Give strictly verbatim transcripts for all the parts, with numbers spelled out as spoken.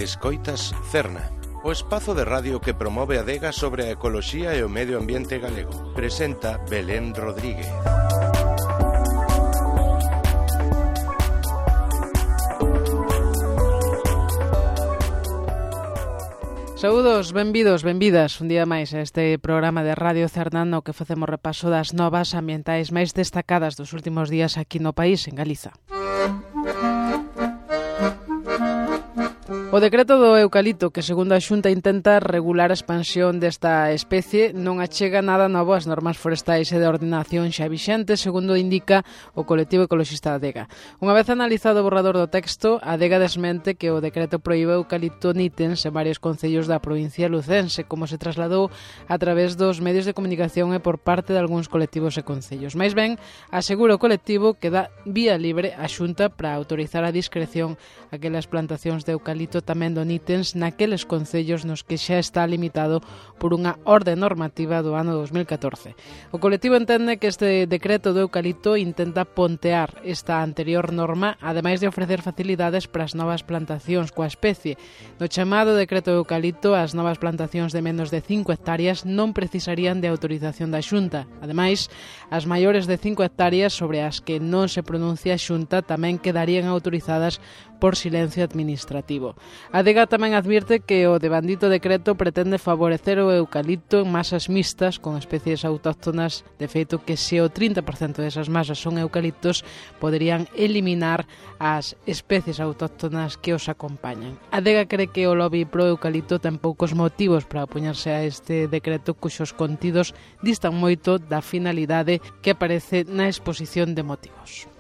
Escoitas Cerna, o espazo de radio que promove a adega sobre a ecoloxía e o medio ambiente galego. Presenta Belén Rodríguez. Saúdos, benvidos, benvidas un día máis a este programa de Radio Cerna no que facemos repaso das novas ambientais máis destacadas dos últimos días aquí no país, en Galiza. O decreto do eucalipto, que segundo a Xunta intenta regular a expansión desta especie, non achega nada novo ás normas forestais e de ordenación xa vixentes, segundo indica o colectivo ecoloxista Adega. Unha vez analizado o borrador do texto, Adega desmente que o decreto proíbe o eucalipto nítens en varios concellos da provincia lucense, como se trasladou a través dos medios de comunicación e por parte de algúns colectivos e concellos. Mais ben, asegura o colectivo que dá vía libre a Xunta para autorizar a discreción aquelas plantacións de eucalipto tamén do nítens naqueles concellos nos que xa está limitado por unha orde normativa do ano dos mil catorce. O colectivo entende que este decreto do eucalipto intenta pontear esta anterior norma, ademais de ofrecer facilidades para as novas plantacións coa especie. No chamado decreto do eucalipto, as novas plantacións de menos de cinco hectáreas non precisarían de autorización da Xunta. Ademais, as maiores de cinco hectáreas sobre as que non se pronuncia a Xunta tamén quedarían autorizadas por silencio administrativo. A Adega tamén advirte que o devandito decreto pretende favorecer o eucalipto en masas mixtas con especies autóctonas, de feito que se o trinta por cento desas masas son eucaliptos, poderían eliminar as especies autóctonas que os acompañan. A Adega cree que o lobby pro eucalipto ten poucos motivos para opoñerse a este decreto cuxos contidos distan moito da finalidade que aparece na exposición de motivos.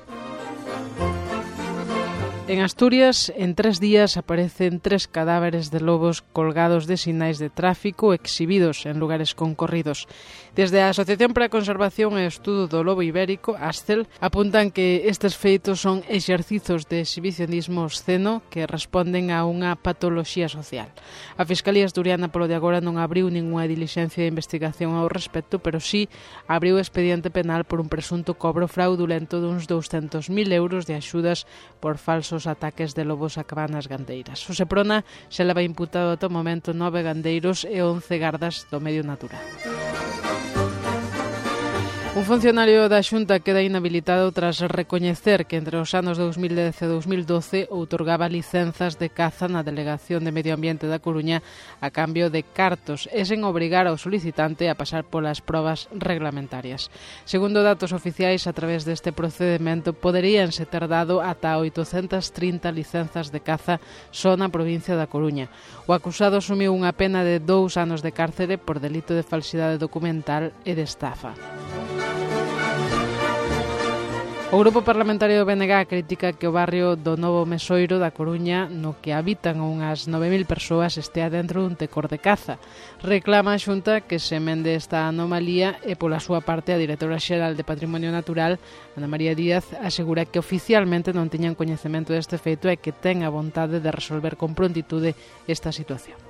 En Asturias, en tres días aparecen tres cadáveres de lobos colgados de sinais de tráfico exhibidos en lugares concorridos. Desde a Asociación para a Conservación e Estudo do Lobo Ibérico, ASCEL, apuntan que estes feitos son exercizos de exhibicionismo obsceno que responden a unha patoloxía social. A Fiscalía Asturiana polo de agora non abriu ningunha dilixencia de investigación ao respecto, pero sí abriu expediente penal por un presunto cobro fraudulento duns douscentos mil euros de axudas por falsos os ataques de lobos a cabanas gandeiras. O Seprona se leva imputado ata o momento nove gandeiros e once gardas do medio natural. Un funcionario da Xunta queda inhabilitado tras recoñecer que entre os anos dous mil dez e dous mil doce outorgaba licenzas de caza na Delegación de Medio Ambiente da Coruña a cambio de cartos e sen obrigar ao solicitante a pasar polas probas reglamentarias. Segundo datos oficiais, a través deste procedimento poderíanse ter dado ata oitocentas trinta licenzas de caza só na provincia da Coruña. O acusado asumiu unha pena de dous anos de cárcere por delito de falsidade documental e de estafa. O Grupo Parlamentario do B N G critica que o barrio do Novo Mesoiro da Coruña, no que habitan unhas nove mil persoas, estea dentro dun tecor de caza. Reclama a Xunta que se emende esta anomalía e, pola súa parte, a directora xeral de Patrimonio Natural, Ana María Díaz, asegura que oficialmente non tiñan coñecemento deste feito e que ten a vontade de resolver con prontitude esta situación.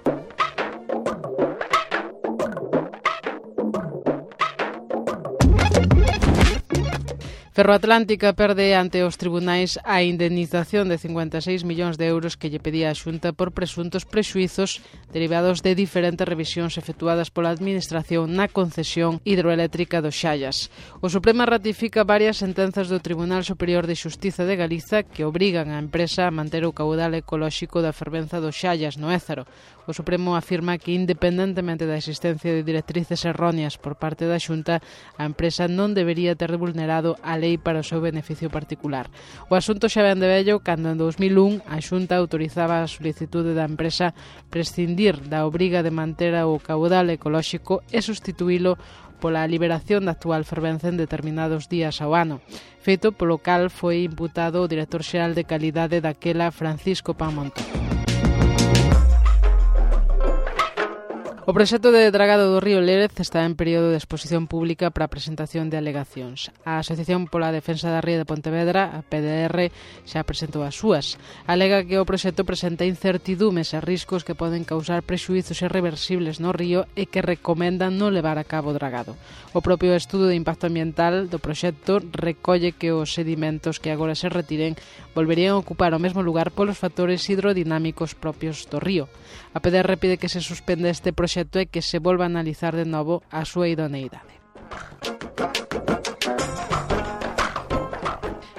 Ferroatlántica perde ante os tribunais a indemnización de cincuenta e seis millóns de euros que lle pedía a Xunta por presuntos prexuizos derivados de diferentes revisións efectuadas pola Administración na concesión hidroeléctrica do Xallas. O Supremo ratifica varias sentenzas do Tribunal Superior de Xustiza de Galiza que obrigan a empresa a manter o caudal ecolóxico da fervenza do Xallas no Ézaro. O Supremo afirma que, independentemente da existencia de directrices erróneas por parte da Xunta, a empresa non debería ter vulnerado a lei para o seu beneficio particular. O asunto xa ven de vello cando en dous mil un a Xunta autorizaba a solicitude da empresa prescindir da obriga de manter o caudal ecolóxico e sustituílo pola liberación da actual fervenza en determinados días ao ano. Feito polo cal foi imputado o director xeral de calidade daquela, Francisco Pan Montón. O proxecto de dragado do río Lérez está en período de exposición pública para a presentación de alegacións. A Asociación pola Defensa da Ría de Pontevedra, a P D R, xa presentou as súas. Alega que o proxecto presenta incertidumes e riscos que poden causar prexuizos irreversibles no río e que recomendan non levar a cabo o dragado. O propio estudo de impacto ambiental do proxecto recolle que os sedimentos que agora se retiren volverían a ocupar o mesmo lugar polos factores hidrodinámicos propios do río. A P D R pide que se suspende este proxecto e que se volva a analizar de novo a súa idoneidade.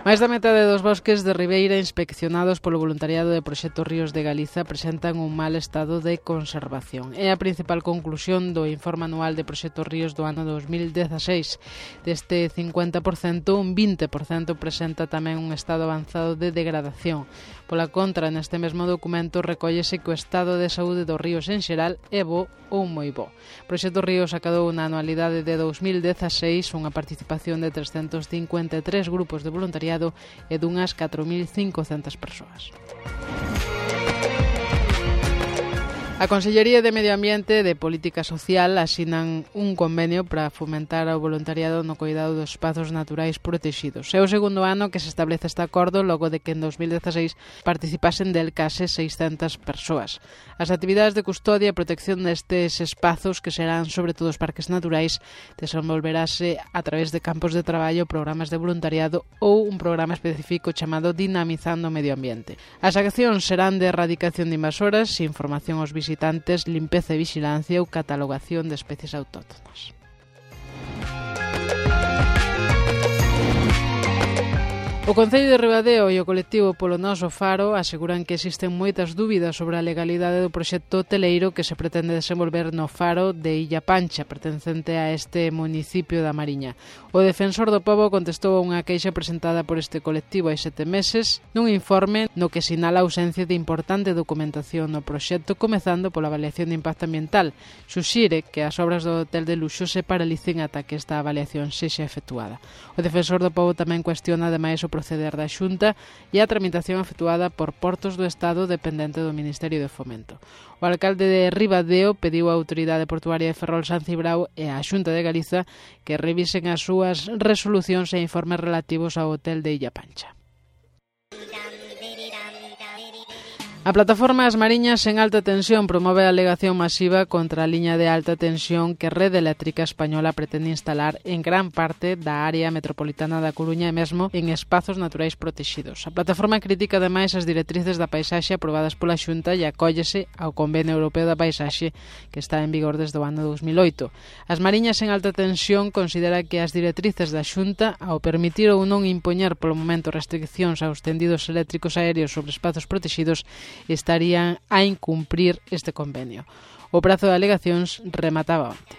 Máis da metade dos bosques de ribeira inspeccionados polo voluntariado de Proxecto Ríos de Galiza presentan un mal estado de conservación. É a principal conclusión do informe anual de Proxecto Ríos do ano dos mil dezaseis. Deste cincuenta por cento, un vinte por cento presenta tamén un estado avanzado de degradación. Pola contra, neste mesmo documento recóllese que o estado de saúde dos ríos en xeral é bo ou moi bo. Proxecto Ríos acadou na anualidade de dos mil dezaseis unha participación de trescentos cincuenta e tres grupos de voluntariado e dunhas catro mil cincocentas persoas. A Consellería de Medio Ambiente e de Política Social asinan un convenio para fomentar o voluntariado no cuidado dos espazos naturais protegidos. É o segundo ano que se establece este acordo logo de que en dos mil dezaseis participasen del case seiscentas persoas. As actividades de custodia e protección destes espazos, que serán sobre todo os parques naturais, desenvolverase a través de campos de traballo, programas de voluntariado ou un programa específico chamado Dinamizando o Medio Ambiente. As accións serán de erradicación de invasoras, información aos visitantes, visitantes, limpeza e vigilancia ou catalogación de especies autóctonas. O Concello de Ribadeo e o colectivo Polo Noso Faro aseguran que existen moitas dúbidas sobre a legalidade do proxecto hoteleiro que se pretende desenvolver no faro de Illa Pancha, pertencente a este municipio da Mariña. O defensor do pobo contestou a unha queixa presentada por este colectivo hai sete meses nun informe no que sinala a ausencia de importante documentación no proxecto, comezando pola avaliación de impacto ambiental. Suxire que as obras do hotel de luxo se paralicen ata que esta avaliación sexa efectuada. O defensor do pobo tamén cuestiona ademais o proceder da Xunta e a tramitación efectuada por Portos do Estado dependente do Ministerio de Fomento. O alcalde de Ribadeo pediu á Autoridade Portuaria de Ferrol San Cibrao e á Xunta de Galiza que revisen as súas resolucións e informes relativos ao hotel de Illa Pancha. A plataforma As Mariñas en alta tensión promove a alegación masiva contra a liña de alta tensión que Rede Eléctrica Española pretende instalar en gran parte da área metropolitana da Coruña e mesmo en espazos naturais protegidos. A plataforma critica ademais as directrices da paisaxe aprobadas pola Xunta e acóllese ao Convenio Europeo da Paisaxe que está en vigor desde o ano dos mil oito. As Mariñas en alta tensión considera que as directrices da Xunta, ao permitir ou non impoñer polo momento restriccións aos tendidos eléctricos aéreos sobre espazos protegidos, estarían a incumprir este convenio. O prazo de alegacións remataba onte.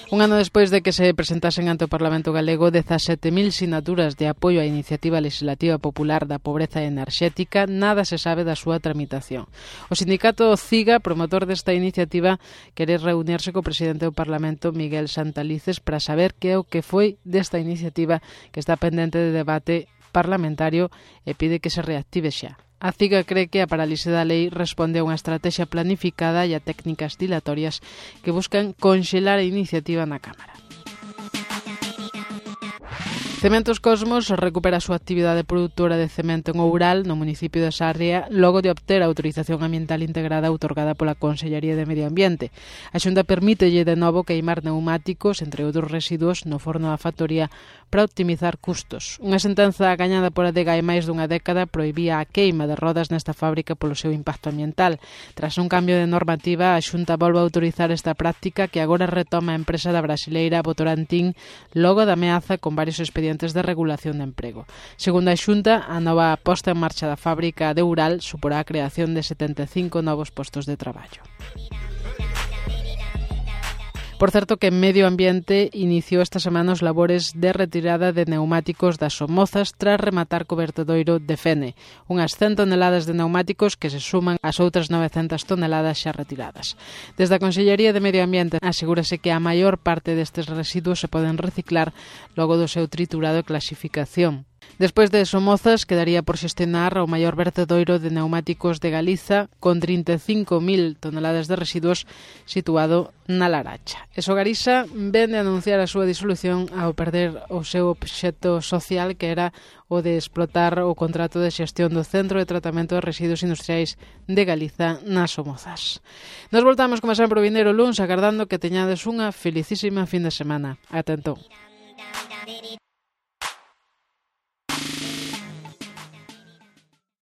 Un ano despois de que se presentasen ante o Parlamento Galego dezasete mil sinaturas de apoio á iniciativa legislativa popular da pobreza enerxética, nada se sabe da súa tramitación. O sindicato CIGA, promotor desta iniciativa, quere reunirse co presidente do Parlamento, Miguel Santalices, para saber que é o que foi desta iniciativa que está pendente de debate parlamentario e pide que se reactive xa. A CIGA cree que a parálise da lei responde a unha estrategia planificada e a técnicas dilatorias que buscan conxelar a iniciativa na Cámara. Cementos Cosmos recupera a súa actividade produtora de cemento en Oural, no municipio de Sarria, logo de obter a autorización ambiental integrada outorgada pola Consellería de Medio Ambiente. A Xunta permítelle de novo queimar neumáticos, entre outros residuos, no forno da factoría para optimizar custos. Unha sentenza gañada por Adega hai máis dunha década prohibía a queima de rodas nesta fábrica polo seu impacto ambiental. Tras un cambio de normativa, a Xunta volve a autorizar esta práctica que agora retoma a empresa da brasileira Votorantim logo da ameaza con varios expedientes de regulación de emprego. Segundo a Xunta, a nova posta en marcha da fábrica de Ural suporá a creación de setenta e cinco novos postos de traballo. Por certo que Medio Ambiente iniciou esta semana os labores de retirada de neumáticos das Somozas tras rematar co vertedoiro de Fene, unhas cen toneladas de neumáticos que se suman ás outras novecentas toneladas xa retiradas. Desde a Consellería de Medio Ambiente asegúrase que a maior parte destes residuos se poden reciclar logo do seu triturado e clasificación. Despois de Somozas, quedaría por xestionar o maior vertedoiro de pneumáticos de Galiza, con trinta e cinco mil toneladas de residuos situado na Laracha. E Sogarisa vende a anunciar a súa disolución ao perder o seu obxecto social, que era o de explotar o contrato de xestión do Centro de Tratamento de Residuos Industriais de Galiza nas Somozas. Nos voltamos, como sempre, o vindeiro luns, agardando que teñades unha felicísima fin de semana. Ata entón.